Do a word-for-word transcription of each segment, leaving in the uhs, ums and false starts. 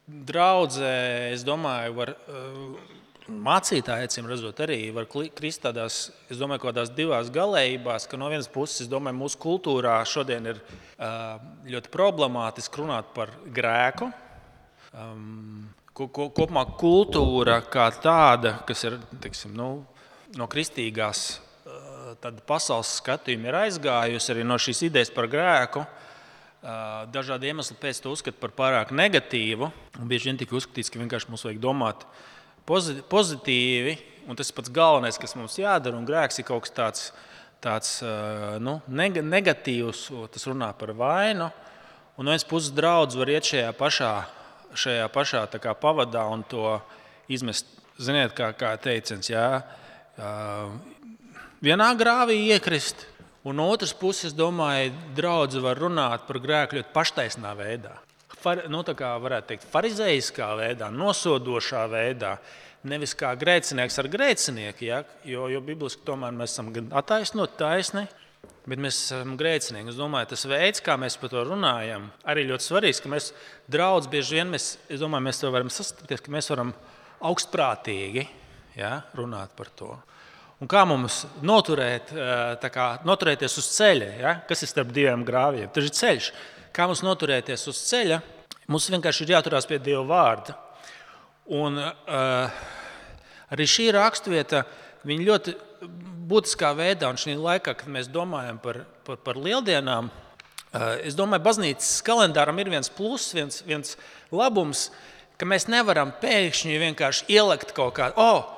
draudzē, es domāju, var mācītāji, acīm redzot, arī var krist tādās, es domāju, kādās divās galējībās, ka no vienas puses, es domāju, mūsu kultūrā šodien ir ļoti problemātiski runāt par grēku. Kopumā kultūra kā tāda, kas ir, teiksim, nu, no kristīgās pasaules skatījuma ir aizgājusi arī no šīs idejas par grēku. Dažādi iemesli pēc to uzskata par pārāk negatīvu. Un bieži vien tika uzskatīts, ka vienkārši mums vajag domāt pozitīvi, un tas ir pats galvenais, kas mums jādara, un grēks ir kaut kas tāds, tāds nu, negatīvs, tas runā par vainu, un no vienas puses draudz var iet šajā pašā, šajā pašā tā kā pavadā un to izmest, ziniet, kā, kā teiciens, jā, vienā grāvī iekrist, un no otras puses, domāju, draudze var runāt par grēku ļoti paštaisnā veidā. Far, nu, tā kā varētu teikt, farizeiskā veidā, nosodošā veidā, nevis kā grēcinieks ar grēcinieku, ja? jo, jo bibliski tomēr mēs esam gan attaisnoti, taisni, bet mēs esam grēcinieki. Es domāju, tas veids, kā mēs par to runājam, arī ļoti svarīgs, ka mēs draudz bieži vien, mēs, es domāju, mēs to varam sastapties, ka mēs varam augstprātīgi, ja, runāt par to. Un kā mums noturēt, tā kā, noturēties uz ceļa, ja? Kas ir starp diviem grāviem? Tas ir ceļš. Kā mums noturēties uz ceļa? Mums vienkārši ir jāturās pie Dieva vārda. Un uh, arī šī raksturvieta, viņa ļoti būtiskā veidā, un šī laikā, kad mēs domājam par, par, par lieldienām, uh, es domāju, baznīcas kalendāram ir viens pluss, viens, viens labums, ka mēs nevaram pēkšņi vienkārši ielikt kaut kādu, oh,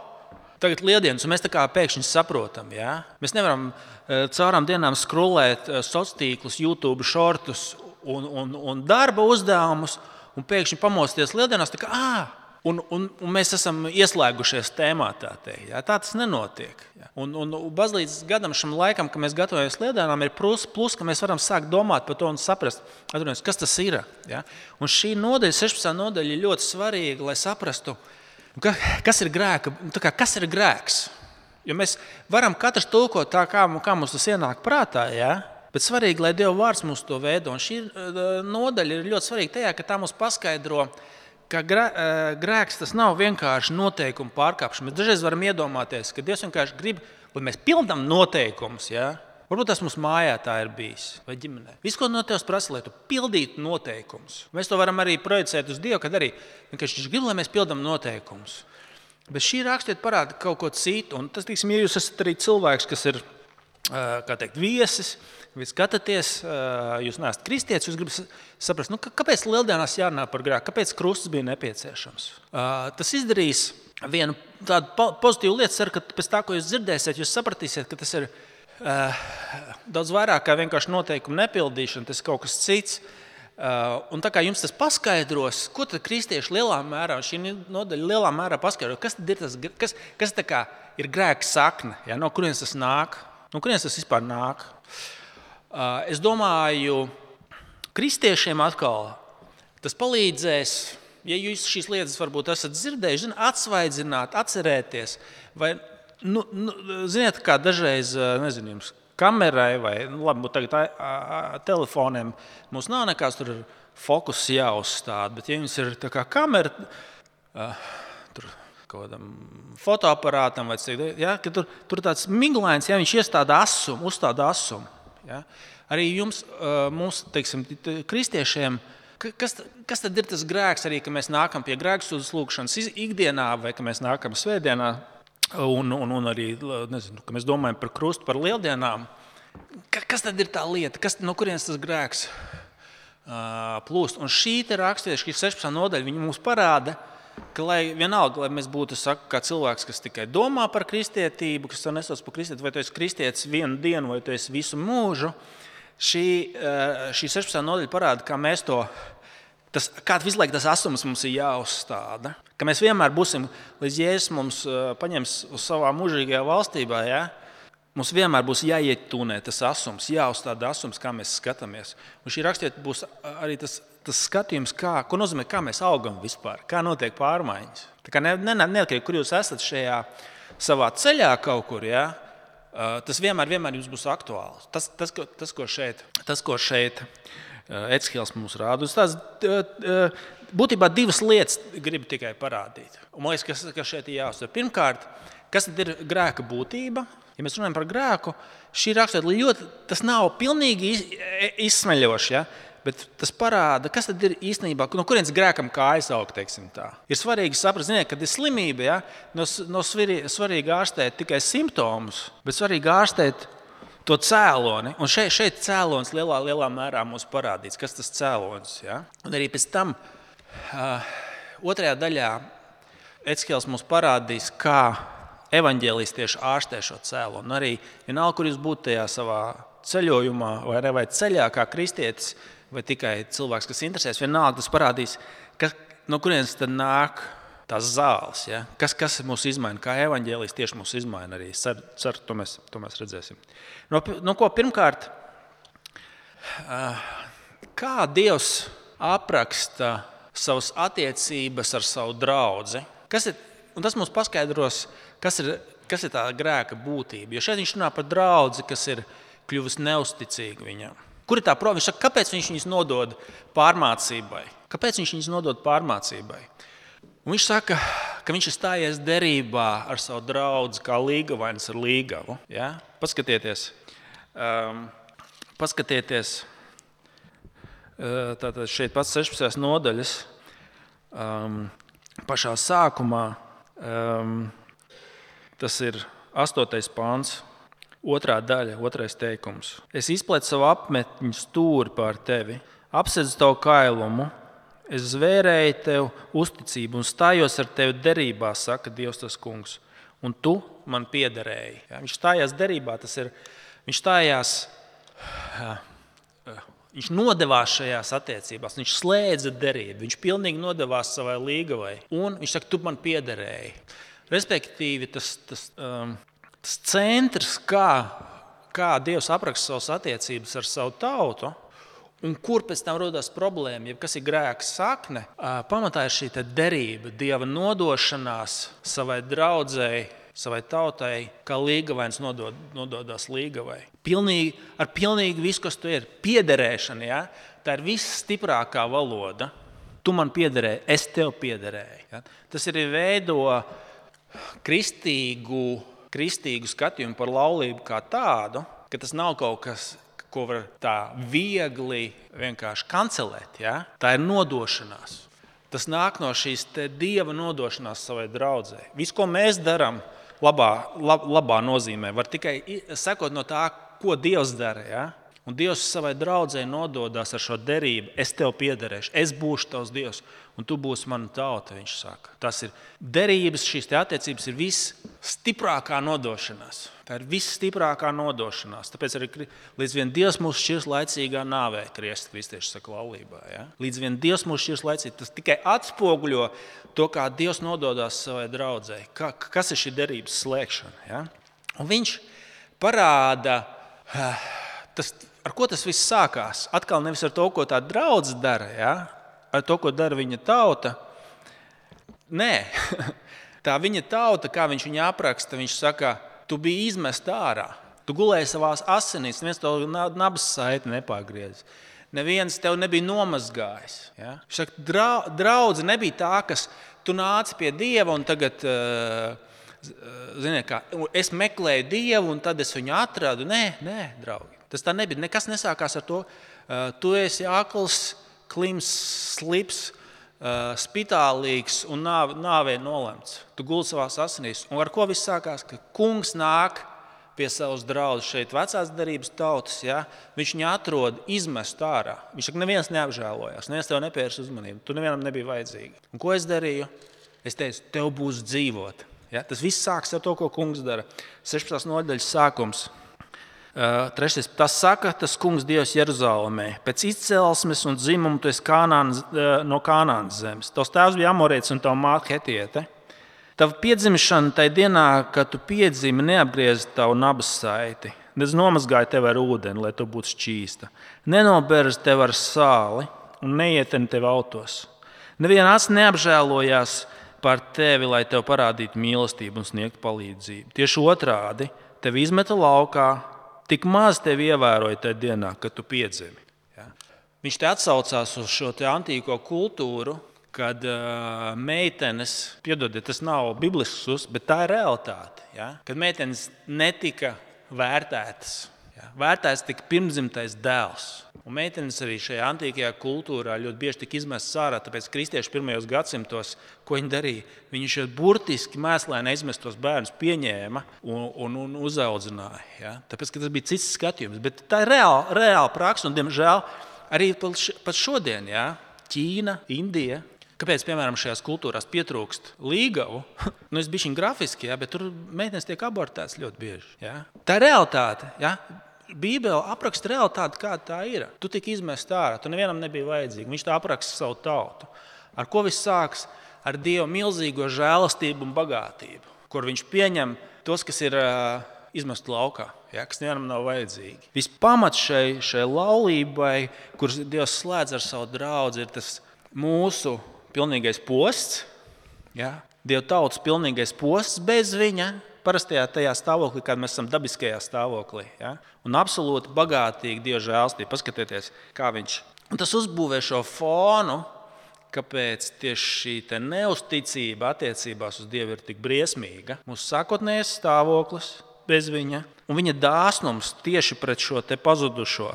tagad lieldienas, un mēs tā kā pēkšņi saprotam. Ja? Mēs nevaram caurām dienām skrolēt sociālos tīklus, YouTube šortus un, un, un darba uzdevumus, un pēkšņi pamosties lieldienās, tā kā, ā, un, un, un mēs esam ieslēgušies tēmā, tā teikt. Ja? Tā tas nenotiek. Ja? Un, un baznīcas gadam šim laikam, kad mēs gatavojamies lieldienām, ir plus, plus, ka mēs varam sākt domāt par to un saprast, kas tas ir. Ja? Un šī nodaļa, sešpadsmitā nodaļa, ir ļoti svarīga, lai saprastu, kas ir grēka, kā, kas ir grēks? Jo mēs varam katrs tulkot tā, kā, kā mums tas ienāk prātā, ja? Bet svarīgi, lai Dieva vārds mums to veido. Un šī nodaļa ir ļoti svarīga tajā, ka tā mums paskaidro, ka grēks tas nav vienkārši noteikumu pārkāpšana. Mēs dažreiz varam iedomāties, ka Dievs vienkārši grib, lai mēs pildām noteikumus, ja? Varbūt tas mums mājā tā ir bijis, vai ģimenē. Viss, ko no Tevs prasa, lai tu pildītu noteikumus. Mēs to varam arī projicēt uz Dievu, kad arī vienkārši Viņš grib, lai mēs pildām noteikumus. Bet šī raksturvieta parāda kaut ko citu. Un tas, tiksim, ja jūs esat arī cilvēks, kas ir, kā teikt, viesis, jūs skatāties, jūs neesat kristietis, jūs gribat saprast, nu, kāpēc lieldienās jārunā par grēku, kāpēc krusts bija nepieciešams. Tas izdarīs vienu tādu pozitīvu lietu, ceru, ka pēc tā, ko jūs dzirdēsiet, jūs sapratīsiet, ka tas ir Uh, daudz vairāk kā vienkārši noteikumu nepildīšana, tas ir kaut kas cits. Uh, un tā kā jums tas paskaidros, ko tad kristieši lielā mērā, šī nodaļa lielā mērā paskaidro, kas tad ir tas, kas, kas tā kā ir grēka sakne, ja? No kurienes tas nāk, no kurienes tas vispār nāk. Uh, es domāju, kristiešiem atkal tas palīdzēs, ja jūs šīs lietas varbūt esat dzirdējuši, atsvaidzināt, atcerēties, vai Nu, nu, ziniet, kā dažreiz, nezinu, jums kamerai vai, nu, labi, tagad a, a, a, telefoniem mums nav nekāds tur fokus jāuzstāda, bet ja jums ir tā kā kamera, a, tur kaut kādam fotoaparātam, vai cik, ja, ka tur, tur tāds miglains, ja viņš iestāda asumu, uzstāda asumu. Ja. Arī jums, mums, teiksim, kristiešiem, kas, kas tad ir tas grēks arī, ka mēs nākam pie grēksūdzes lūgšanas ikdienā vai ka mēs nākam svētdienā, Un, un, un arī, nezinu, ka mēs domājam par krustu, par lieldienām. Kas tad ir tā lieta? Kas, no kurienes tas grēks uh, plūst? Un šī te raksturvieta, šī sešpadsmitā nodaļa, viņa mums parāda, ka lai vienalga, lai mēs būtu, saku, kā cilvēks, kas tikai domā par kristietību, kas to nesauc par kristietību, vai tu esi kristietis vienu dienu, vai tu esi visu mūžu, šī, uh, šī sešpadsmitā nodaļa parāda, kā mēs to Tas, kā visu laiku tas asums mums ir jāuzstāda, ka mēs vienmēr būsim, līdz Jēzus mums paņems uz savā mūžīgajā valstībā, ja? Mums vienmēr būs jāiet tūnē tas asums, jāuzstāda asums, kā mēs skatāmies. Un šī rakstiet būs arī tas, tas skatījums, kā, ko nozīmē, kā mēs augam vispār, kā notiek pārmaiņas. Tā kā ne, ne, neatkarīgi, kur jūs esat šajā savā ceļā kaut kur, ja? Tas vienmēr, vienmēr jums būs aktuāls. Tas, tas, tas, ko šeit, tas, ko šeit Ecihēls mums rāda. Tās būtībā divas lietas gribu tikai parādīt. Un man liekas, kas, kas šeit ir jāuzsver. Pirmkārt, kas tad ir grēka būtība? Ja mēs runājam par grēku, šī raksturība ļoti, tas nav pilnīgi izsmeļoši, ja? Bet tas parāda, kas tad ir īstenībā, no kurienes grēkam kājas aug, teiksim tā. Ir svarīgi saprast, ziniet, kad ir slimība, ja? Nav no svarīgi ārstēt tikai simptomus, bet svarīgi ārstēt to cēloni. Un šeit, šeit cēlonis lielā, lielā mērā mums parādīts, kas tas cēlonis. Ja? Un arī pēc tam uh, otrajā daļā Ecihēls mums parādīs, kā evaņģēlijs tieši ārstē šo cēloni. Un arī vienalga, kur jūs būtu tajā savā ceļojumā vai, vai ceļā kā kristietis, vai tikai cilvēks, kas interesēs, vienalga tas parādīs, ka, no kurienes tad nāk tās zāles. Ja? Kas, kas mūs izmaina, kā evaņģēlijs tieši mūs izmaina arī. Cer, cer, to, mēs, to mēs redzēsim. No, no ko pirmkārt, kā Dievs apraksta savas attiecības ar savu draudzi? Kas ir, un tas mums paskaidros, kas ir, kas ir tā grēka būtība. Jo šeit viņš runā par draudzi, kas ir kļuvusi neusticīga viņam. Kur ir tā problēma? Viņš saka, kāpēc viņš viņus nodod pārmācībai? Kāpēc viņš viņus nodod pārmācībai? Un viņš saka, ka viņš ir stājies derībā ar savu draudzi, kā līgavains ar līgavu. Ja? Paskatieties, um, paskatieties uh, tātad šeit pats sešpadsmitās nodaļas um, pašā sākumā. Um, tas ir astotais pāns. Otrā daļa, otrais teikums. Es izplētu savu apmetņu stūri pār tevi, apsedzu tavu kailumu, es zvērēju tev uzticību un stājos ar tevi derībā, saka Dievs tas kungs, un tu man piederēji. Ja, viņš stājās derībā, tas ir, viņš stājās, viņš nodevās šajās attiecībās, viņš slēdza derību, viņš pilnīgi nodevās savai līgavai, un viņš saka, tu man piederēji. Respektīvi, tas, tas um, Tas centrs, kā, kā Dievs apraksta savas attiecības ar savu tautu, un kur pēc tam rodas problēma, ja kas ir grēka sakne, pamatā ir šī derība, Dieva nodošanās savai draudzēji, savai tautai, kā līgavains nodod, nododās līgavai. Pilnīgi, ar pilnīgi visu, kas tu ir. Piederēšana, ja? Tā ir visstiprākā valoda. Tu man piederēji, es tev piederēju. Ja? Tas arī veido kristīgu kristīgu skatījumu par laulību kā tādu, ka tas nav kaut kas, ko var tā viegli vienkārši kancelēt. Ja? Tā ir nodošanās. Tas nāk no šīs te Dieva nodošanās savai draudzei. Viss, ko mēs darām labā, lab, labā nozīmē, var tikai sekot no tā, ko Dievs dara. Ja? Un Dievs savai draudzei nododās ar šo derību. Es tev piederēšu, es būšu tavs Dievs, un tu būsi mana tauta, viņš saka. Tas ir derības, šīs te attiecības ir visstiprākā nodošanās. Tā ir visstiprākā nodošanās. Tāpēc arī līdz vien Dievs mūs šķirs laicīgā nāvē, kriesti kristieši saka laulībā. Ja? Līdz vien Dievs mūs šķirs laicīgi, tas tikai atspoguļo to, kā Dievs nododās savai draudzei. Kā, kas ir šī derības slēgšana? Ja? Un viņš parāda, tas, ar ko tas viss sākās. Atkal nevis ar to, ko tā draudze dara, ja? Ar to, ko dara viņa tauta. Nē, tā viņa tauta, kā viņš viņu apraksta, viņš saka, tu biji izmest ārā. Tu gulēji savās asinīs, neviens tev nabas saiti nepagriez. Neviens tev nebija nomazgājis. Ja? Viņš saka, draudze nebija tā, kas tu nāci pie Dieva un tagad, ziniet kā, es meklēju Dievu un tad es viņu atradu. Nē, nē, draugi. Tas tā nebija. Nekas nesākās ar to. Tu esi akls, klims, slips, spitālīgs un nāvē nolemts. Tu guldi savās asinīs. Un ar ko viss sākās? Ka kungs nāk pie savas draudzes šeit vecās derības tautas. Ja? Viņš viņu atrod izmest ārā. Viņš saka, neviens neapžēlojās, neviens tev nepievērs uzmanību. Tu nevienam nebija vajadzīgi. Un ko es darīju? Es teicu, tev būs dzīvot. Ja? Tas viss sāks ar to, ko kungs dara. sešpadsmitās nodaļas sākums. Uh, trešais, tas saka, tas kungs Dievs Jeruzalemē. Pēc izcelsmes un dzimumu tu esi Kānāns, uh, no Kānānas zemes. Tavs tēvs bija Amorietis un tava māte Hetiete. Tava piedzimšana tai dienā, kad tu piedzimi, neapgriez tavu nabas saiti. Nedz nomazgāja tevi ar ūdeni, lai tu būtu šķīsta. Nenoberz tevi ar sāli un neieteni tevi autos. Neviena acis neapžēlojās par tevi, lai tev parādītu mīlestību un sniegtu palīdzību. Tieši otrādi, tevi izmeta laukā, tik maz tevi ievēroja tajā dienā, kad tu piedzimi. Ja? Viņš te atsaucās uz šo te antīko kultūru, kad uh, meitenes, piedodiet, tas nav biblisks uzskats, bet tā ir realitāte. Ja? Kad meitenes netika vērtētas, ja? Vērtēts tika pirmzimtais dēls. Un meitenes arī šajā antīkajā kultūrā ļoti bieži tika izmestas ārā, tāpēc kristieši pirmajos gadsimtos, ko viņi darīja? Viņi šeit burtiski mēslēni izmestos bērnus pieņēma un, un, un uzaudzināja. Ja? Tāpēc, ka tas bija cits skatījums. Bet tā ir reāla, reāla praksa un, diemžēl, arī pat šodien, ja? Ķīna, Indija. Kāpēc, piemēram, šajās kultūrās pietrūkst līgavu? Nu, es bišķiņ grafiski, ja? Bet tur meitenes tiek abortētas ļoti bieži. Ja? Tā ir realitāte. Ja? Bībele apraksta realitāti, kāda tā ir. Tu tiki izmest ārā, tu nevienam nebija vajadzīgi. Viņš tā apraksta savu tautu. Ar ko viss sāks? Ar Dieva milzīgo žēlastību un bagātību, kur viņš pieņem tos, kas ir uh, izmest laukā, ja, kas nevienam nav vajadzīgi. Vispamats šai, šai laulībai, kuras Dievs slēdz ar savu draudzi, ir tas mūsu pilnīgais posts, ja, Dieva tautas pilnīgais posts bez viņa, parastajā tajā stāvoklī, kad mēs esam dabiskajā stāvoklī. Ja? Un absolūti bagātīgi Dieva žēlstība. Paskatieties, kā viņš. Un tas uzbūvē šo fonu, kāpēc tieši šī te neusticība attiecībās uz Dievu ir tik briesmīga. Mūsu sākotnējais stāvoklis bez viņa un viņa dāsnums tieši pret šo te pazudušo.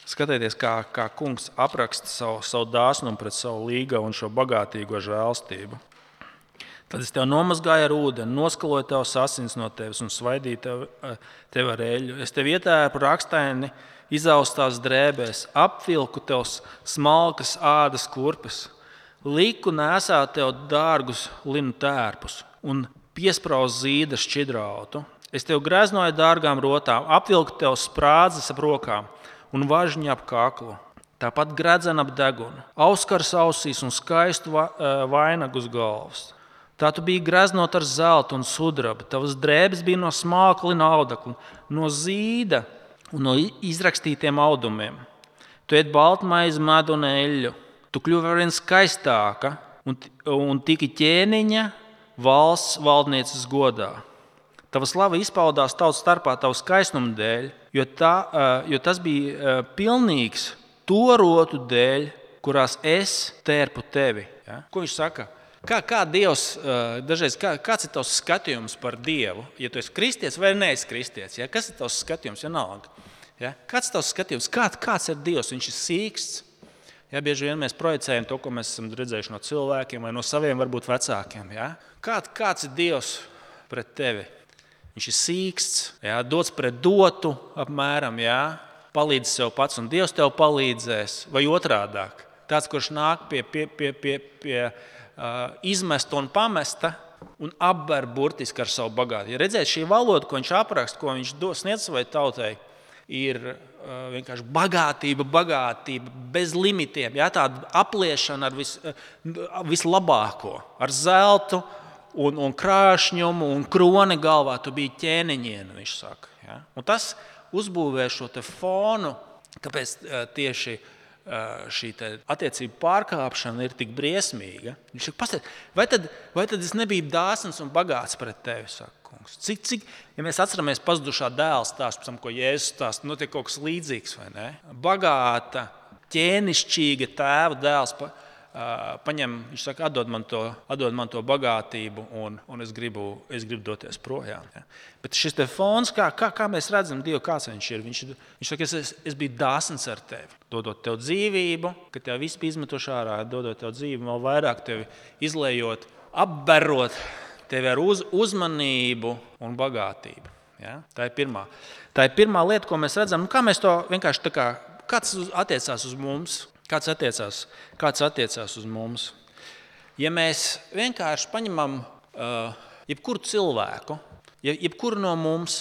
Skatieties, kā, kā kungs apraksta savu, savu dāsnumu pret savu līgavu un šo bagātīgo žēlstību. Tad es tev nomazgāju ar ūdeni, noskaloju tavas asins no tevis un svaidīju tev, tev ar eļļu. Es tev ietērpu rakstaini izaustās drēbēs, apvilku tev smalkas ādas kurpes, liku nēsāt tev dārgus linu tērpus un piesprauzu zīda šķidrautu. Es tev greznoju dārgām rotām, apvilku tev sprādzes ap rokām un važņu ap kaklu. Tāpat gredzenu ap degunu, auskars ausīs un skaistu vainagu uz galvas. Tā tu biji greznot ar zeltu un sudrabu, tavas drēbes bija no smalka lina audekla, no zīda un no izrakstītiem audumiem. Tu ēd baltmaizi, medu un eļļu. Tu kļuvi arvien skaistāka un, un tiki ķēniņa valsts valdnieces godā. Tava slava izpaudās tautas starpā tavu skaistumu dēļ, jo, tā, jo tas bija pilnīgs to rotu dēļ, kurās es tērpu tevi. Ja? Ko viņš saka? Kā, kā Dievs, dažreiz, kā, kāds ir tavs skatījums par Dievu? Ja tu esi kristietis vai neesi kristietis, ja? Kas ir tavs skatījums? Vienalga. Ja? Kāds ir tavs skatījums? Kā, kāds ir Dievs? Viņš ir sīksts. Ja? Bieži vien mēs projicējam to, ko mēs esam redzējuši no cilvēkiem vai no saviem varbūt vecākiem. Ja? Kā, kāds ir Dievs pret tevi? Viņš ir sīksts, ja? Dots pret dotu apmēram, ja? Palīdz sev pats un Dievs tev palīdzēs. Vai otrādāk? Tāds, kurš nāk pie... pie, pie, pie, pie Uh, izmesta un pamesta un apber burtiski ar savu bagātību. Ja redzēt, šī valoda, ko viņš apraksta, ko viņš sniedz savai tautai, ir uh, vienkārši bagātība, bagātība, bez limitiem. Ja? Tāda apliešana ar vis, uh, vislabāko, ar zeltu un, un krāšņumu un kroni galvā. Tu biji ķēniņiena, viņš saka. Ja? Un tas uzbūvē šo te fonu, kāpēc uh, tieši šī attiecību pārkāpšana ir tik briesmīga. Viņš saka, pastāst, vai tad, vai tad es nebiju dāsns un bagāts pret tevi, saka kungs? Cik, cik, ja mēs atceramies pazudušā dēla stāstu, ko Jēzus stāsta, notiek kaut kas līdzīgs, vai ne? Bagāta, ķēnišķīga tēva dēls pa, uh, paņem, viņš saka, atdod man to, atdod man to bagātību un, un es, gribu, es gribu doties projām. Ja? Bet šis te fons, kā, kā, kā mēs redzam Dievu, kāds viņš ir, viņš, viņš saka, es, es biju dāsns ar tevi. Dodot tev dzīvību, kad tev viss bija izmetuši ārā, dodot tev dzīvību, vēl vairāk tevi izlējot, apberot tevi ar uz, uzmanību un bagātību. Ja? Tā ir pirmā. Tā ir pirmā lieta, ko mēs redzam. Nu, kā mēs to vienkārši tā kā, kāds attiecās uz mums? Kāds attiecās, kāds attiecās uz mums? Ja mēs vienkārši paņemam uh, jebkuru cilvēku, jebkuru no mums,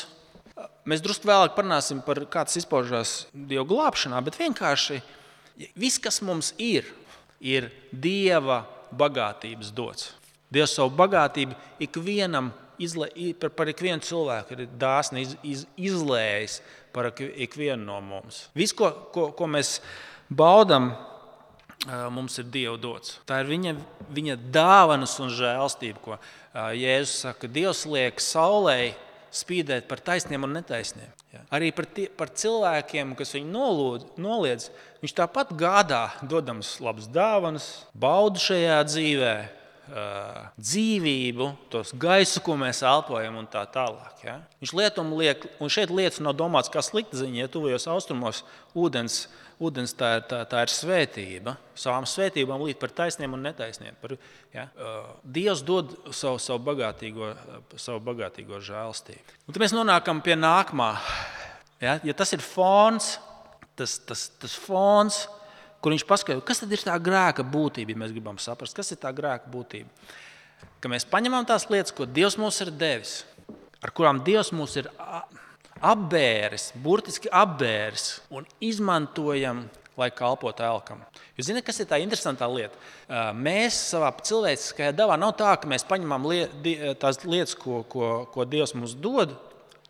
mēs drusku vēlāk parunāsim par kāds izpaužās Dieva glābšanā, bet vienkārši viss, kas mums ir, ir Dieva bagātības dots. Dievs savu bagātību ikvienam, izlē, par, par ikvienu cilvēku ir dāsni iz, iz, izlējis par ikvienu no mums. Viss, ko, ko, ko mēs baudam, mums ir Dieva dots. Tā ir viņa, viņa dāvanas un žēlstība, ko Jēzus saka, Dievs liek saulei spīdēt par taisniem un netaisniem. Ja? Arī par, tie, par cilvēkiem, kas viņu nolūd, noliedz, viņš tāpat gādā, dodams labas dāvanas, baudu šajā dzīvē, dzīvību, tos gaisu, ko mēs elpojam un tā tālāk. Ja? Viņš lietumu liek, un šeit lietas nav domāts kā slikta ziņa, ja tuvajos austrumos ūdens, ūdens tā, ir, tā, tā ir svētība, savām svētībām līdz par taisniem un netaisniem. Par, ja? Dievs dod savu, savu, bagātīgo, savu bagātīgo žēlstību. Un tad mēs nonākam pie nākamā. Ja, ja tas ir fons, tas, tas, tas fons, kur viņš paskaidro, kas tad ir tā grēka būtība, ja mēs gribam saprast, kas ir tā grēka būtība. Ka mēs paņemam tās lietas, ko Dievs mums ir devis, ar kurām Dievs mums ir apbēris, burtiski apbēris un izmantojam, lai kalpotu elkam. Jūs zināt, kas ir tā interesantā lieta? Mēs savā cilvēciskajā dabā nav tā, ka mēs paņemam liet, tās lietas, ko, ko, ko Dievs mums dod,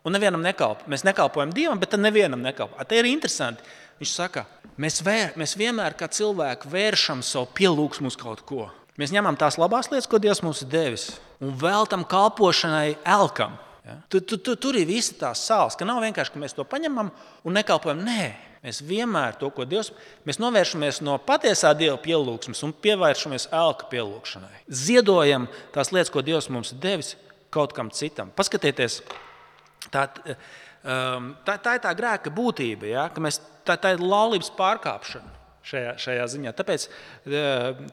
un nevienam nekalpo. Mēs nekalpojam Dievam, bet tad nevienam nekalpo. Te ir interesanti. Viņš saka, mēs, vēr, mēs vienmēr kā cilvēki vēršam savu pielūgsmu uz kaut ko. Mēs ņemam tās labās lietas, ko Dievs mums ir devis, un veltam kalpošanai elkam. Ja? Tur, tur, tur, tur ir visi tās sāls, ka nav vienkārši, ka mēs to paņemam un nekalpojam. Nē, mēs vienmēr to, ko Dievs, mēs novēršamies no patiesā Dieva pielūgsmes un pievēršamies elka pielūgšanai. Ziedojam tās lietas, ko Dievs mums ir devis kaut kam citam. Paskatieties, tā, tā, tā ir tā grēka būtība, ja? Ka mēs Tā, tā ir laulības pārkāpšana šajā, šajā ziņā. Tāpēc,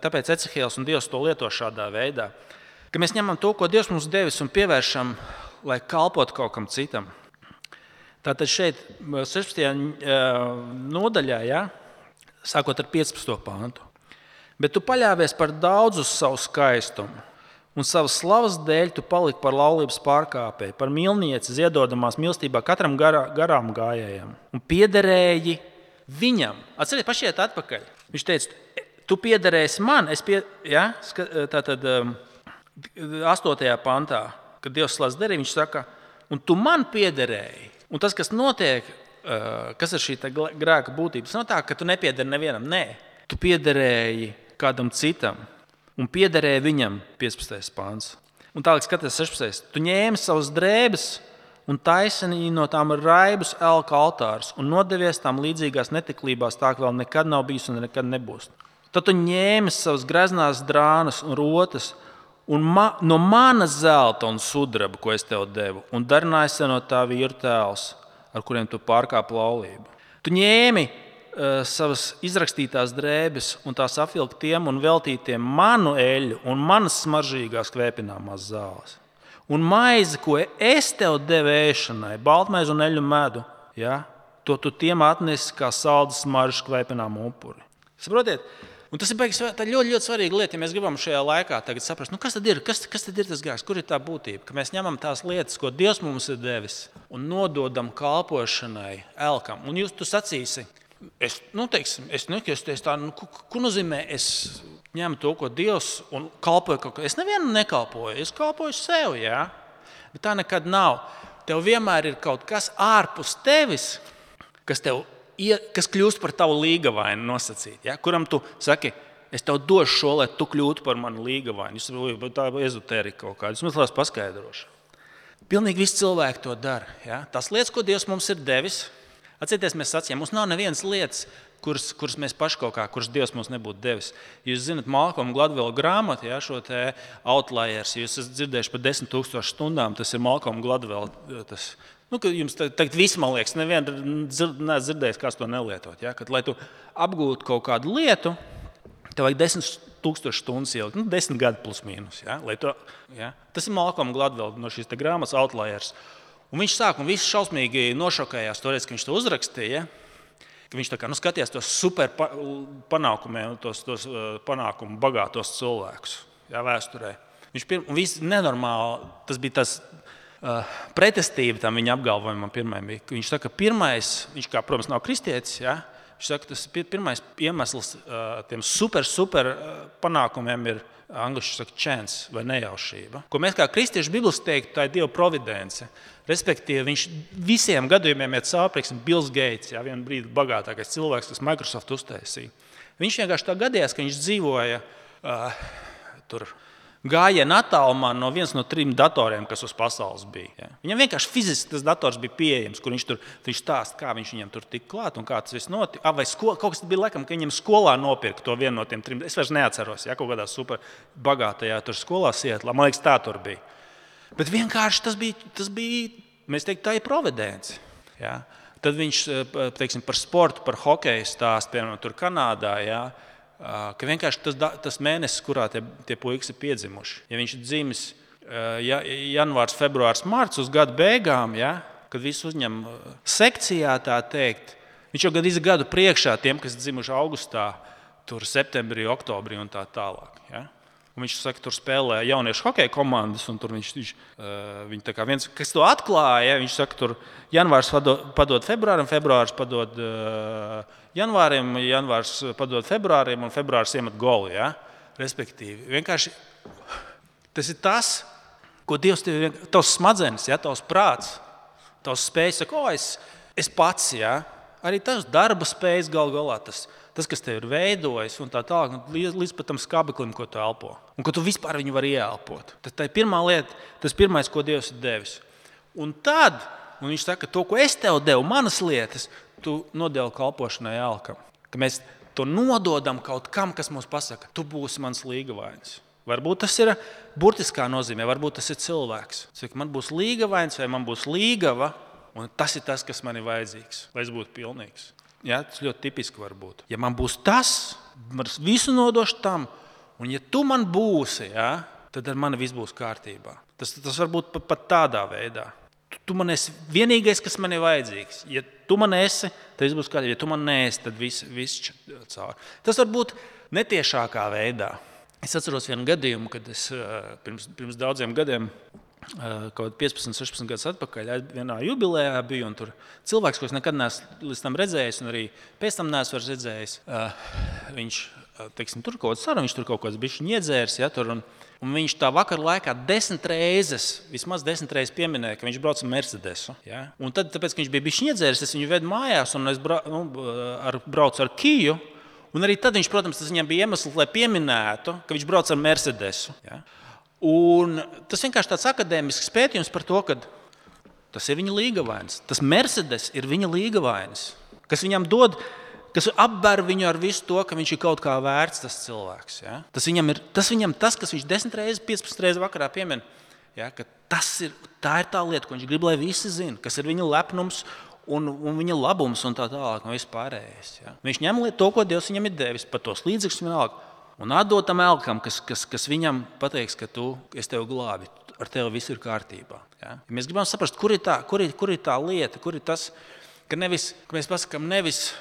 tāpēc Ecehēls un Dievs to lieto šādā veidā. Ka mēs ņemam to, ko Dievs mums devis un pievēršam, lai kalpotu kaut kam citam. Tātad šeit sešpadsmitajā nodaļā, ja, sākot ar piecpadsmito pantu. Bet tu paļāvies par daudz uz savu skaistumu, un savas slavas dēļ tu paliki par laulības pārkāpēju, par mīlnieci ziedodamās mīlestībā katram garā, garām gājējam. Un piederēji viņam. Atcerieties, pašiet atpakaļ. Viņš teica, tu piederēsi man. Es pie, ja, tātad astotajā pantā, kad Dievs slēdz deri, viņš saka, un tu man piederēji. Un tas, kas notiek, kas ir šī grēka būtība, tas nav tā, ka tu nepiederi nevienam. Nē, tu piederēji kādam citam. Un piederēja viņam piecpadsmitais pants. Un tālāk skaties sešpadsmitais. Tu ņēmi savas drēbes un taisini no tām raibus elka altārus un nodevies tām līdzīgās netiklībās, tā ka vēl nekad nav bijis un nekad nebūs. Tad tu ņēmi savas greznās drānas un rotas un ma, no manas zelta un sudraba, ko es tev devu, un darināji sev no tā vīru tēls, ar kuriem tu pārkāpi laulību. Tu ņēmi savas izrakstītās drēbes un tās apvilktiem un veltītiem manu eļļu un manas smaržīgās kvēpināmās zāles. Un maizi, ko es tev devu ēšanai, baltmaizi un eļļu medu, ja, to tu tiem atnesi kā saldas smaržas kvēpināmu upuri. Saprotiet? Un tas ir beigas, tā ļoti, ļoti svarīga lieta, ja mēs gribam šajā laikā tagad saprast, nu kas tad ir, kas, kas tad ir tas grēks, kur ir tā būtība, ka mēs ņemam tās lietas, ko Dievs mums ir devis un nododam kalpošanai elkam. Un jūs tu sacīsi, Es, nu, teiksim, es nekļūsties tā, nu, ko nozīmē, es ņemu to, ko Dievs un kalpoju kaut ko. Es nevienam nekalpoju, es kalpoju sev, jā. Bet tā nekad nav. Tev vienmēr ir kaut kas ārpus tevis, kas, tev, kas kļūst par tavu līgavainu nosacīt, jā. Kuram tu saki, es tev došu šo, lai tu kļūtu par manu līgavainu. Jūs tā ir ezotērika kaut kāda, es mazliet paskaidrošu. Pilnīgi visi cilvēki to dara, jā. Tās lietas, ko Dievs mums ir devis, atcerieties, mēs sacījām, mums nav nevienas lietas, kuras, kuras mēs paši kaut kā, kuras Dievs mums nebūtu devis. Jūs zināt, Malcolma Gladwella grāmatu, ja, šo te Outliers, jūs esat dzirdējuši par desmit tūkstošu stundām, tas ir Malcolma Gladwella. Tas, nu, jums tagad viss, man liekas, neviena neesat dzirdējis, kāds to nelietot. Ja, kad, lai tu apgūtu kaut kādu lietu, tev vajag desmit tūkstošu stundas ielikt, nu, desmit gadi plus mīnus. Ja, lai to, ja. Tas ir Malcolma Gladwella no šīs te grāmatas Outliers. Un viņš sāk, un viss šausmīgi nošokējās toreiz, ka viņš to uzrakstīja, ka viņš tā kā, nu, skatījās tos super panākumiem, tos, tos panākumu bagātos cilvēkus, jā, vēsturē. Viņš pirm, un viss nenormāli, tas bija tas uh, pretestība tam viņa apgalvojumam pirmajam. Viņš saka, pirmais, viņš kā, protams, nav kristietis, jā, viņš saka, tas pirmais iemesls uh, tiem super, super panākumiem ir angliski saka chance vai nejaušība. Ko mēs kā kristieši Bībeles teiktu, tā ir Dieva providence. Respektīvi, viņš visiem gadījumiem iet cauri, prieksim, Bills Gates, jā, vienu brīdi bagātākais cilvēks, kas Microsoft uztaisīja. Viņš vienkārši tā gadījās, ka viņš dzīvoja uh, tur gājiena attālumā no viens no trim datoriem, kas uz pasaules bija. Ja. Viņam vienkārši fiziski tas dators bija pieejams, kur viņš tur viņš stāst, kā viņš viņam tur tik klāt un kā tas viss notika. Ah, vai sko, kaut kas bija laikam, ka viņam skolā nopirka to vienu no tiem trim. Es vairs neatceros, ja, kaut kādā super bagātajā tur skolā Sietlā. Man liekas, tā tur bija. Bet vienkārši tas bija, tas bija mēs teiktu, tā ir providence. Ja. Tad viņš, teiksim, par sportu, par hokeju stāst, piemēram, tur Kanādā, ja. Ka vienkārši tas, tas mēnesis, kurā tie, tie puikas ir piedzimuši. Ja viņš ir dzimis ja, janvārs, februārs, marts uz gadu beigām, ja, kad visu uzņem sekcijā, tā teikt, viņš jau gandrīz gadu priekšā tiem, kas dzimuši augustā, tur septembrī, oktobrī un tā tālāk. Ja. Un viņš saka, tur spēlē jauniešu hokeja komandas, un tur viņš, viņš, viņš tā kā viens, kas to atklāja, viņš saka, tur janvārs padod, padod februārim, februārs padod uh, janvārim, janvārs padod februārim, un februārs iemet golu, ja? Respektīvi. Vienkārši tas ir tas, ko Dievs tev, tavs smadzenes, ja? Tavs prāts, tavs spējas, saka, o, es, es pats, ja? Arī tavs darba spējas gal galā, tas, tas, kas tev ir veidojis, un tā tālāk, līdz, līdz pat tam skabeklim, ko tu elpo. Un ka tu vispār viņu vari ieelpot. Tad tā ir pirmā lieta, tas pirmais, ko Dievs ir devis. Un tad, un viņš saka, to, ko es tev devu, manas lietas, tu nodevi kalpošanai elkam. Ka mēs to nododam kaut kam, kas mums pasaka, tu būsi mans līgavainis. Varbūt tas ir burtiskā nozīmē, varbūt tas ir cilvēks. Saka, man būs līgavains vai man būs līgava, un tas ir tas, kas man ir vajadzīgs, lai es būtu pilnīgs. Ja, tas ļoti tipiski var būt. Ja man būs tas, man visu nodošu tam, un ja tu man būsi, ja, tad ar mani viss būs kārtībā. Tas, tas var būt pat, pat tādā veidā. Tu, tu man esi vienīgais, kas man ir vajadzīgs. Ja tu man esi, tad viss būs kārtībā. Ja tu man neesi, tad viss, viss caur. Tas var būt netiešākā veidā. Es atceros vienu gadījumu, kad es pirms, pirms daudziem gadiem, kaut piecpadsmit, sešpadsmit gadus atpakaļ, vienā jubilejā biju, un tur cilvēks, ko es nekad neesmu līdz tam redzējis, un arī pēc tam neesmu vairs redzējis, viņš, teiksim, tur kaut kāds saruna, viņš tur kaut kāds bišķiņ iedzērs, ja, tur, un, un viņš tā vakar laikā desmit reizes, vismaz desmit reizes pieminēja, ka viņš brauc ar Mercedesu, ja, un tad, tāpēc, ka viņš bija bišķiņ iedzērs, es viņu vedu mājās, un es bra, nu, ar, braucu ar Kiju, un arī tad viņš, protams, tas viņam bija iemesls, lai pieminētu, ka viņš brauc ar Mercedesu, ja. Un tas vienkārši tāds akadēmisks pētījums par to, ka tas ir viņa līgavainis. Tas Mercedes ir viņa līgavainis, kas viņam dod, kas apber viņu ar visu to, ka viņš ir kaut kā vērts tas cilvēks. Ja? Tas viņam ir tas, viņam, tas, kas viņš desmit reizes, piecpadsmit reizes vakarā piemin, ja? Ka tas ir, tā ir tā lieta, ko viņš grib, lai visi zina, kas ir viņa lepnums un, un viņa labums un tā tālāk un viss pārējais. Ja? Viņš ņem to, ko Dievs viņam ir devis, par tos līdzekļus vienalga. Un atdot tam elkam, kas, kas, kas viņam pateiks, ka tu, es tevi glābi, ar tevi viss ir kārtībā. Ja? Ja mēs gribam saprast, kur ir, tā, kur, ir, kur ir tā lieta, kur ir tas, ka, nevis, ka mēs pasakām nevis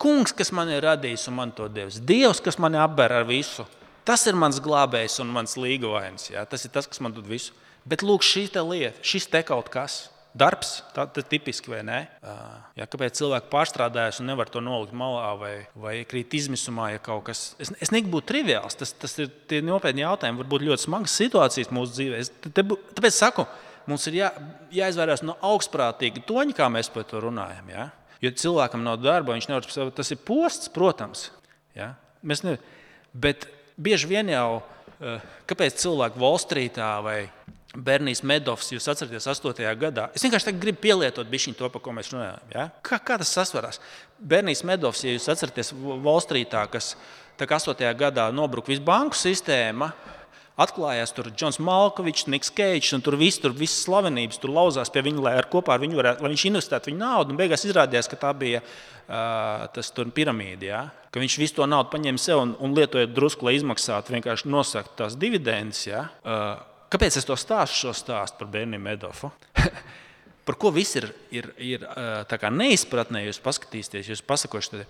kungs, kas man ir radījis un man to devis, Dievs, kas mani apber ar visu. Tas ir mans glābējs un mans līgavainis. Ja? Tas ir tas, kas man dod visu. Bet lūk, šī te lieta, šis te kaut kas. Darbs, tā ir tipiski, vai ne? Ja, kāpēc cilvēki pārstrādājas un nevar to nolikt malā vai, vai krīt izmisumā, ja kaut kas... Es, es negribu būt triviāls, tas, tas ir tie nopietni jautājumi, varbūt ļoti smagas situācijas mūsu dzīvē. Es, te, tāpēc saku, mums ir jā, jāizvairās no augstprātīga toņa, kā mēs par to runājam. Ja? Jo cilvēkam nav darba, viņš nevar saprast, tas ir posts, protams. Ja? Mēs ne, bet bieži vien jau, kāpēc cilvēki Wall Streetā vai Bernijs Medovs, jūs atceraties astotajā gadā. Es vienkārši gribu pielietot bišķiņ to, par ko mēs runājam. Ja? Kā, kā tas sasvarās? Bernijs Medovs, ja jūs atceraties Wall Streetā, kas astotajā gadā nobruka visu banku sistēma, atklājās tur Džons Malkovičs, Niks Keidžs, un tur viss, tur visas slavenības tur lauzās pie viņa, lai ar kopā ar viņu varētu, lai viņš investētu viņu naudu, un beigās izrādījās, ka tā bija uh, tas tur piramīdi, ja? Ka viņš visu to naudu paņēma sev un, un lietojot drusku, lai izmaksātu, vienkārši nosakt tās dividendes, ja? Uh, Kāpēc es to stāstu, šo stāstu par Berniju Medovu? Par ko viss ir, ir, ir tā kā neizpratnē, jūs paskatīsieties, jūs pasakošat,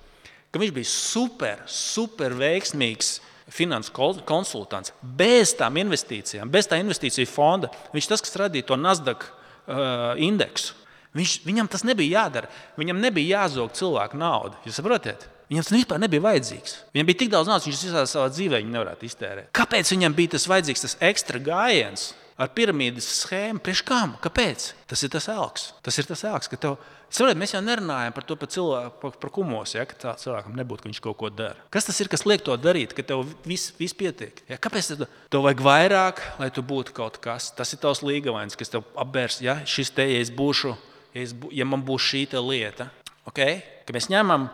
ka viņš bija super, super veiksmīgs finansu konsultants, bez tām investīcijām, bez tā investīciju fonda. Viņš tas, kas radīja to Nasdaq uh, indeksu. Viņš, viņam tas nebija jādara. Viņam nebija jāzog cilvēku naudu. Jūs saprotiet? Viņam tas vispār nebija vajadzīgs. Viņam bija tik daudz naudas, viņš visā savā dzīvē viņu nevarētu iztērēt. Kāpēc viņam bija tas vajadzīgs, tas ekstra gājiens? ar piramīdas schēmu. Priekš kam? Kāpēc? Tas ir tas elks. Tas ir tas elks, ka tev... Saprāt, mēs jau nerunājam par to par, cilvēku, par, par kumos, ja, ka tā cilvēkam nebūtu, ka viņš kaut ko dara. Kas tas ir, kas liek to darīt, ka tev viss vis pietiek? Ja, kāpēc tev, tev vajag vairāk, lai tu būtu kaut kas? Tas ir tavs līgavains, kas tev apbērs, ja, šis te, ja es būšu, ja, es, ja man būs šī te lieta. Okay? Ka mēs ņemam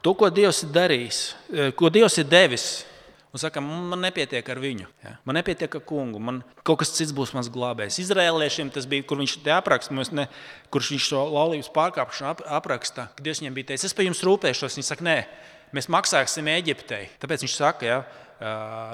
to, ko Dievs ir darījis, ko Dievs ir devis, un saka, man nepietiek ar viņu. Ja? Man nepietiek ar kungu. Man kaut kas cits būs mans glābējs. Izraēliešiem tas bija, kur viņš te apraksta, ne, kurš viņš šo laulības pārkāpšanu ap, apraksta, kad Dievs viņiem bija teicis, es par jums rūpēšos. Viņi saka, nē, mēs maksāsim Eģiptei. Tāpēc viņš saka, ja,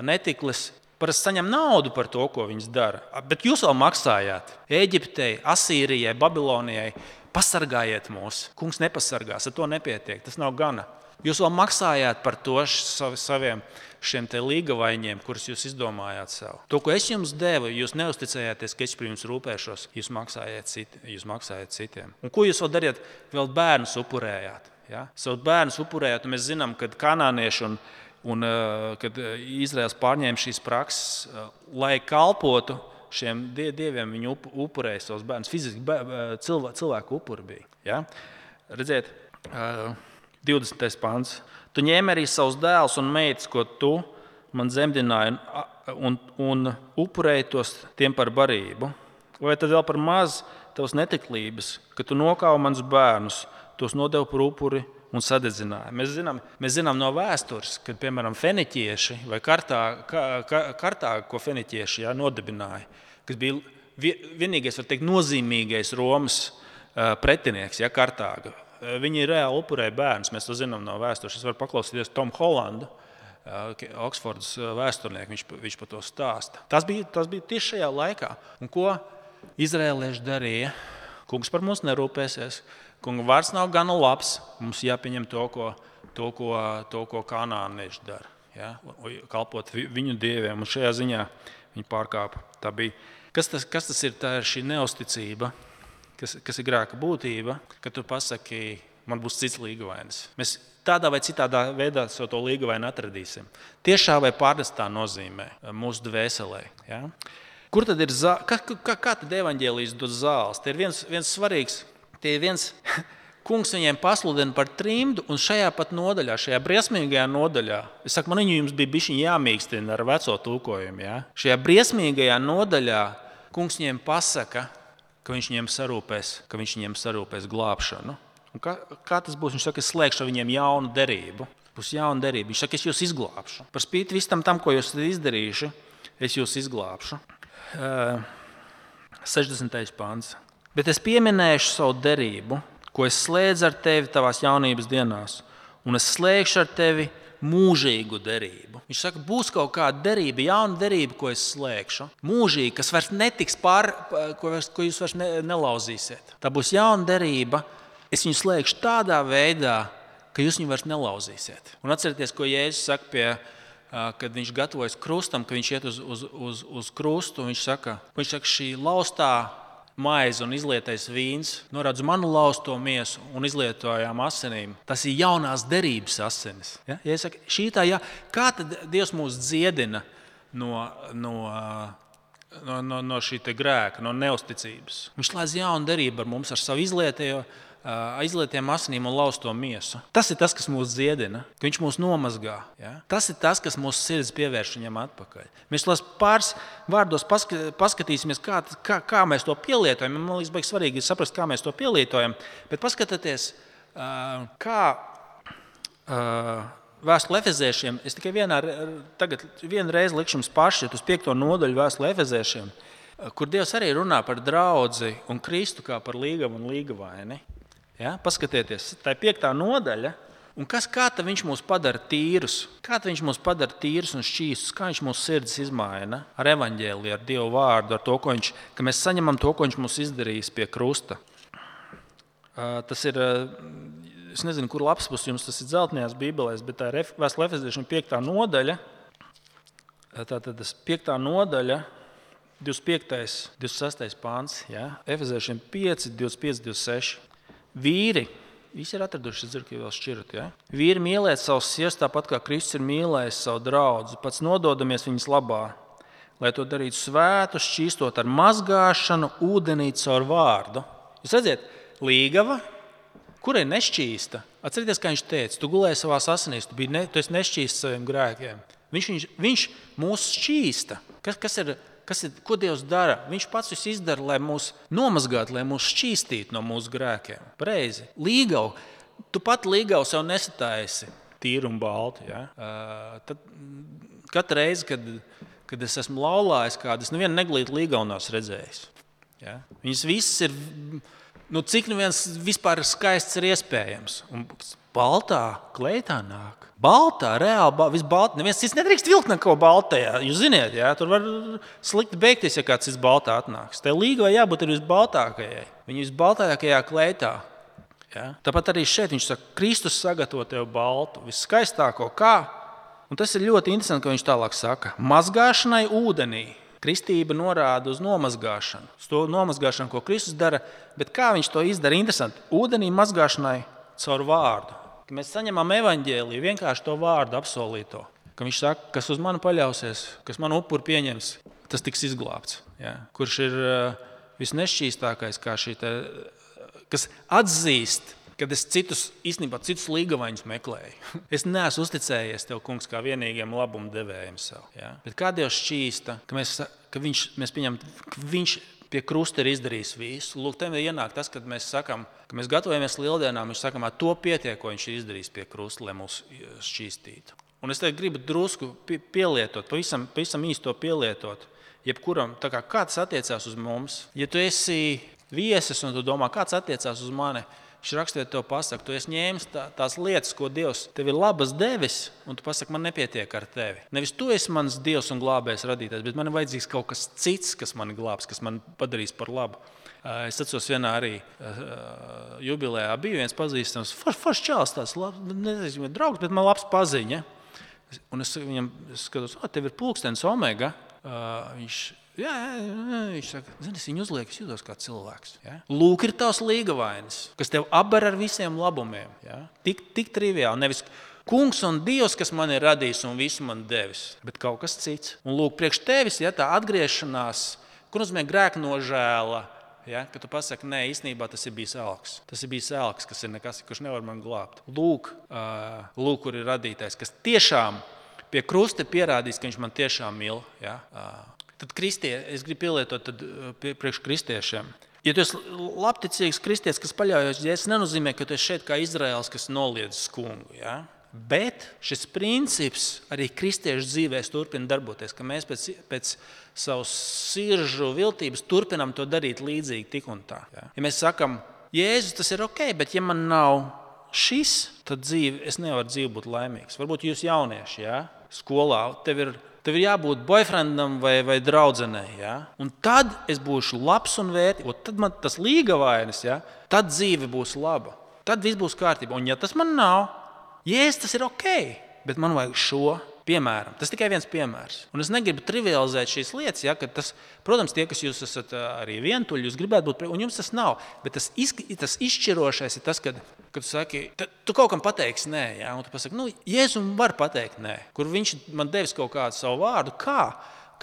netiklis parasti saņem naudu par to, ko viņas dara. Bet jūs vēl maksājāt Eģiptei, Asīrijai, Babilonijai. Pasargājiet mūs. Kungs nepasargās, ar to nepietiek. Tas nav gana. Jūs vēl maksājāt par to saviem šiem te līgavaņiem, kurus jūs izdomājāt sev. To, ko es jums devu, jūs neusticējāties, ka es par jums rūpēšos, jūs maksājāt, citi, jūs maksājāt citiem. Un ko jūs vēl dariet? Vēl bērnus upurējāt. Ja? Savu bērnus upurējāt, un mēs zinām, kad kanānieši un, un kad Izraels pārņēma šīs prakses, lai kalpotu šiem dieviem, viņi upurēja savus bērnus. Fiziski cilvēku upuri bija. Ja? Redziet, divdesmitais pants. Tu ņēmi arī savus dēlus un meitas, ko tu man dzemdināji, un, un upurēji tos tiem par barību. Vai tad vēl par maz tavas netiklības, ka tu nokāvi manus bērnus, tos nodevi par upuri un sadedzināji. Mēs zinām, mēs zinām no vēstures, kad, piemēram, feniķieši vai kartā, ka, kartā ko feniķieši jā, nodibināja, kas bija vienīgais, var teikt, nozīmīgais Romas pretinieks, ja, Kartāga. Viņi reāli upurēja bērnus, mēs to zinām no vēstures. Es varu paklausīties Tomu Hollandu, Oksfordas vēsturnieku, viņš, viņš par to stāsta. Tas bija, tas bija tieši šajā laikā. Un ko izraēlieši darīja? Kungs par mums nerūpēsies. Kunga vārds nav gana labs. Mums jāpieņem to, ko, to, ko, to, ko kanānieši dara. Ja? Kalpot viņu dieviem. Un šajā ziņā viņi pārkāpa. Tā bija. Kas tas, kas tas ir? Tā ir šī neusticība. Kas, kas ir grēka būtība, kad tu pasaki, man būs cits līgavainis. Mēs tādā vai citādā veidā savu to līgavainu atradīsim. Tiešā vai pārnestā nozīmē mūsu dvēselē. Ja? Kur tad ir zāle? Kā, kā, kā tad evaņģēlijas dod zāles? Te ir viens, viens svarīgs, te ir viens, kungs viņiem pasludina par trimdu, un šajā pat nodaļā, šajā briesmīgajā nodaļā, es saku, man viņu jums bija bišķiņ jāmīkstina ar veco tulkojumu. Ja? Šajā briesmīgajā nodaļā kungs viņiem pasaka, ka viņš viņiem sarūpēs, ka viņš viņiem sarūpēs glābšanu. Un kā, kā tas būs? Viņš saka, es slēgšu ar viņiem jaunu derību. Būs jauna derība. Viņš saka, es jūs izglābšu. Par spīti visam tam, ko jūs izdarījuši, es jūs izglābšu. Uh, sešdesmitais pants. Bet es pieminēšu savu derību, ko es slēdzu ar tevi tavās jaunības dienās, un es slēgšu ar tevi mūžīgu derību. Viņš saka, būs kaut kāda derība, jauna derība, ko es slēgšu. Mūžīgi, kas vairs netiks pār, ko, vairs, ko jūs vairs ne, nelauzīsiet. Tā būs jauna derība. Es viņu slēgšu tādā veidā, ka jūs viņu vairs nelauzīsiet. Un atcerieties, ko Jēzus saka, pie, kad viņš gatavojas krustam, kad viņš iet uz, uz, uz, uz krustu. Viņš saka, viņš saka, šī laustā maize un izlietais vīns norāda uz manu lausto miesu un izlietojām asinīm. Tas ir jaunās derības asinis. Ja? Ja es saku, šī tā, ja, kā tad Dievs mūs dziedina no, no, no, no, no šī te grēka, no neusticības? Viņš slēdz jaunu derību ar mums, ar savu izlietējo, izlietiem asinīm un lausto miesu. Tas ir tas, kas mūs dziedina, ka viņš mūs nomazgā. Ja? Tas ir tas, kas mūsu sirds pievērš viņam atpakaļ. Mēs pāris vārdos paskatīsimies, kā, kā, kā mēs to pielietojam. Man liekas, baigi svarīgi saprast, kā mēs to pielietojam. Bet paskatieties, kā vēstule Efeziešiem, es tikai vienā, tagad vienu reizi likšu jums pāršķiet uz piekto nodaļu vēstule Efeziešiem, kur Dievs arī runā par draudzi un Kristu kā par līgavu un līgavaini. Ja? Paskatieties, tā ir piektā nodaļa, un kas, kā tad viņš mūs padara tīrus? Kā tad viņš mūs padara tīrus un šķīstus? Kā viņš mūsu sirdis izmaina ar evaņģēliju, ar Dievu vārdu, ar to, ko viņš, ka mēs saņemam to, ko viņš mums izdarījis pie krusta. Tas ir, es nezinu, kur lapspus jums tas ir dzeltenajās bībelēs, bet tā ir vēstule Efeziešiem piektā nodaļa. Tātad tas piektā nodaļa, divdesmit piektais, divdesmit sestais pāns, ja? Efeziešiem pieci, divdesmit pieci, divdesmit seši. Vīri, visi ir atraduši, es dzirdu, ka vēl šķirat, ja? Vīri mīlēt savus sievas tāpat, kā Kristus ir mīlējis savu draudzi, pats nododamies viņas labā. lai to darītu svētu, šķīstot ar mazgāšanu ūdenī caur vārdu. Jūs redzat, līgava, kura ir nešķīsta. Atcerieties, kā viņš teica, tu gulēji savās asinīs, tu, ne, tu esi nešķīsts saviem grēkiem. Viņš, viņš, viņš mūs šķīsta. Kas, kas ir, kas ir, ko Dievs dara? Viņš pats visu izdara, lai mūs nomazgātu, lai mūs šķīstītu no mūsu grēkiem. Pareizi. Līgavu. Tu pat līgavu sev nesataisi tīru un baltu. Ja? Uh, tad katru reizi, kad, kad es esmu laulājis kādu, es nevienu neglītu līgavu nav redzējis. Ja? Viņas visas ir, nu, cik nu viens vispār skaists ir iespējams. Un baltā kleitā nāk. Baltā, reāli, viss baltā. Neviens cits nedrīkst vilkt neko baltajā. Jūs ziniet, ja? Tur var slikti beigties, ja kāds cits baltā atnāks. Te līgavai jābūt ir visbaltākajai. Viņa visbaltākajā kleitā. Ja? Tāpat arī šeit viņš saka, Kristus sagatavo tev baltu, viskaistāko kā. Un tas ir ļoti interesanti, ka viņš tālāk saka. Mazgāšanai ūdenī. Kristība norāda uz nomazgāšanu. Uz to nomazgāšanu, ko Kristus dara. Bet kā viņš to izdara? Interesanti. Ūdenī mazgāšanai caur vārdu. Ka mēs saņemam evaņģēliju, vienkārši to vārdu apsolīto. Ka viņš saka, kas uz mani paļausies, kas man upuri pieņems, tas tiks izglābts. Ja? Kurš ir uh, visnešķīstākais, kā šī te, kas atzīst, kad es citus, īstenībā citus līgavaņus meklēju. Es neesmu uzticējies tev, kungs, kā vienīgiem labumu devējiem sev. Ja? Bet kā Dievs šķīsta, ka mēs, ka viņš, mēs pieņemam, ka viņš pie krusta ir izdarījis visu. Lūk, tam ienāk tas, kad mēs sakam, ka mēs gatavojamies lieldienām, viņš sakam, to pietiek, ko viņš ir izdarījis pie krusta, lai mūs šķīstītu. Un es tagad gribu drusku pielietot, pavisam, pavisam īsti to pielietot, jebkuram, tā kā kāds attiecās uz mums. Ja tu esi viesis un tu domā, kāds attiecās uz mani, viņš rakstīt tev pasaka, tu esi ņēmis tā, tās lietas, ko Dievs tev ir labas devis, un tu pasaki, man nepietiek ar tevi. Nevis tu esi mans Dievs un glābējs radītājs, bet man ir vajadzīgs kaut kas cits, kas mani glābs, kas man padarīs par labu. Es atceros vienā arī jubilejā bija viens pazīstams, foršs forš čāls tās, nezinu, draugs, bet man labs paziņa. Un es viņam skatos, o, tev ir pulkstenis Omega. Viņš Jā, jā, viņš saka, zini, es viņu uzlieku, es jūtos kā cilvēks. Ja? Lūk, ir tavs līgavainis, kas tev apber ar visiem labumiem. Ja? Tik, tik triviāli. Nevis kungs un Dievs, kas man ir radījis un visu man devis, bet kaut kas cits. Un lūk, priekš tevis, ja, tā atgriešanās, kur nozīmē grēka nožēla, ja? Ka tu pasaki, nē, īstenībā tas ir bijis elks. Tas ir bijis elks, kas ir nekas, kurš nevar man glābt. Lūk, uh, lūk, kur ir radītājs, kas tiešām pie krusta pierādīs, ka viņš man tiešām mīl. Ja? Uh, Tad kristie, es gribu pielietot tad, priekš kristiešiem. Ja tu esi labticīgs kristietis, kas paļaujas, ja es nenozīmē, ka tu esi šeit kā Izraels, kas noliedz kungu. Ja? Bet šis princips arī kristiešu dzīvēs turpina darboties, ka mēs pēc, pēc savas siržu viltības turpinam to darīt līdzīgi tik un tā. Ja, ja mēs sakam, Jēzus, tas ir ok, bet ja man nav šis, tad dzīve, es nevaru dzīvi būt laimīgs. Varbūt jūs jaunieši, ja? Skolā, tev ir Tev ir jābūt boyfriendam vai, vai draudzenei. Ja? Un tad es būšu labs un vērtīgs. Tad man tas līgavainis, ja? Tad dzīve būs laba. Tad viss būs kārtībā. Un ja tas man nav, jēs, tas ir ok, bet man vajag šo piemēram. Tas tikai viens piemērs. Un es negribu trivializēt šīs lietas, ja? Kad tas, protams, tie, kas jūs esat arī vientuļi, jūs gribētu būt, un jums tas nav. Bet tas, iz, tas izšķirošais ir tas, kad, kad tu saki, tu kaut kam pateiksi nē, ja? Un tu pasaki, nu, Jēzum var pateikt nē, kur viņš man devis kaut kādu savu vārdu, kā,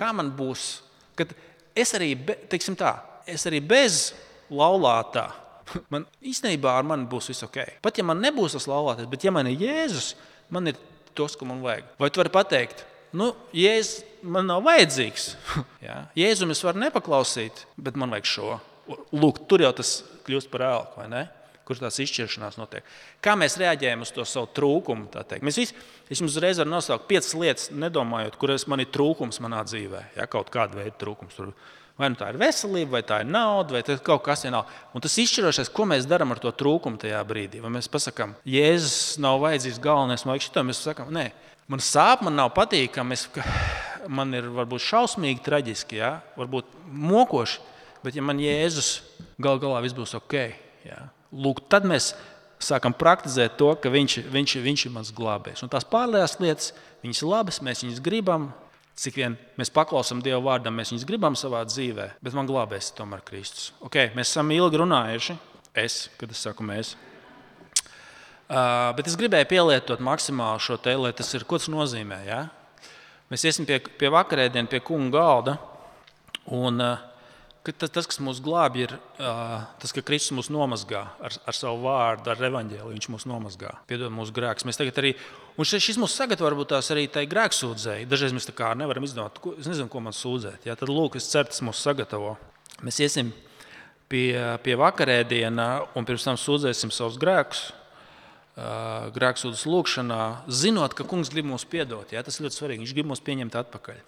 kā man būs, kad es arī, be, teiksim tā, es arī bez laulātā, man īstenībā ar mani būs viss ok. Pat ja man nebūs tas laulātais, bet ja man ir Jēzus, man ir tos, ko man vajag. Vai tu vari pateikt, nu, Jēzus man nav vajadzīgs. Ja? Jēzum es varu nepaklausīt, bet man vajag šo. Lūk, tur jau tas kļūst par ēlku, vai ne? Kur tās izšķiršanās notiek. Kā mēs reaģējam uz to savu trūkumu, tā teikt. Mēs visi, es jums uzreiz varu nosaukt piecas lietas, nedomājot, kuras man ir trūkums manā dzīvē. Ja? Kaut kāda veida trūkums. Tur, vai nu tā ir veselība, vai tā ir nauda, vai tas kaut kas vienalga. Un tas izšķirošais, ko mēs darām ar to trūkumu tajā brīdī. Vai mēs pasakām, Jēzus nav vajadzīgs galvenais, vai šito mēs sakām, nē, man sāp, man nav patīkami, man ir varbūt šausmīgi traģiski, ja? Varbūt mokoši, bet ja man Jēzus gal galā viss būs ok. Ja? Lūk, tad mēs sākam praktizēt to, ka viņš, viņš, viņš ir mans glābējs. Un tās pārējās lietas, viņas ir labas, mēs viņas gribam, cik vien mēs paklausam Dieva vārdam, mēs viņas gribam savā dzīvē, bet man glābējs ir tomēr Kristus. Ok, mēs esam ilgi runājuši, es, kad es saku mēs. Uh, bet es gribēju pielietot maksimāli šo te, lai tas ir, ko tas nozīmē, ja? Mēs iesim pie, pie vakarēdienu, pie kunga galda. Un, tas, tas, kas mūs glābj, ir tas, ka Kristus mūs nomazgā ar, ar savu vārdu, ar evaņģēliju. Viņš mūs nomazgā, piedod mūsu grēkus. Mēs tagad arī, un šis mūs sagatavo varbūt tās arī tai grēksūdzēji. Dažreiz mēs tā kā nevaram izdomāt, ko, es nezinu, ko man sūdzēt. Jā, tad lūk, es ceru, tas mūs sagatavo. Mēs iesim pie, pie vakarēdiena un pirms tam sūdzēsim savus grēkus. Grēksūdzes lūgšanā, zinot, ka kungs grib mūs piedot. Jā, tas ir ļoti svarīgi. Viņš grib mūs pieņemt atpakaļ.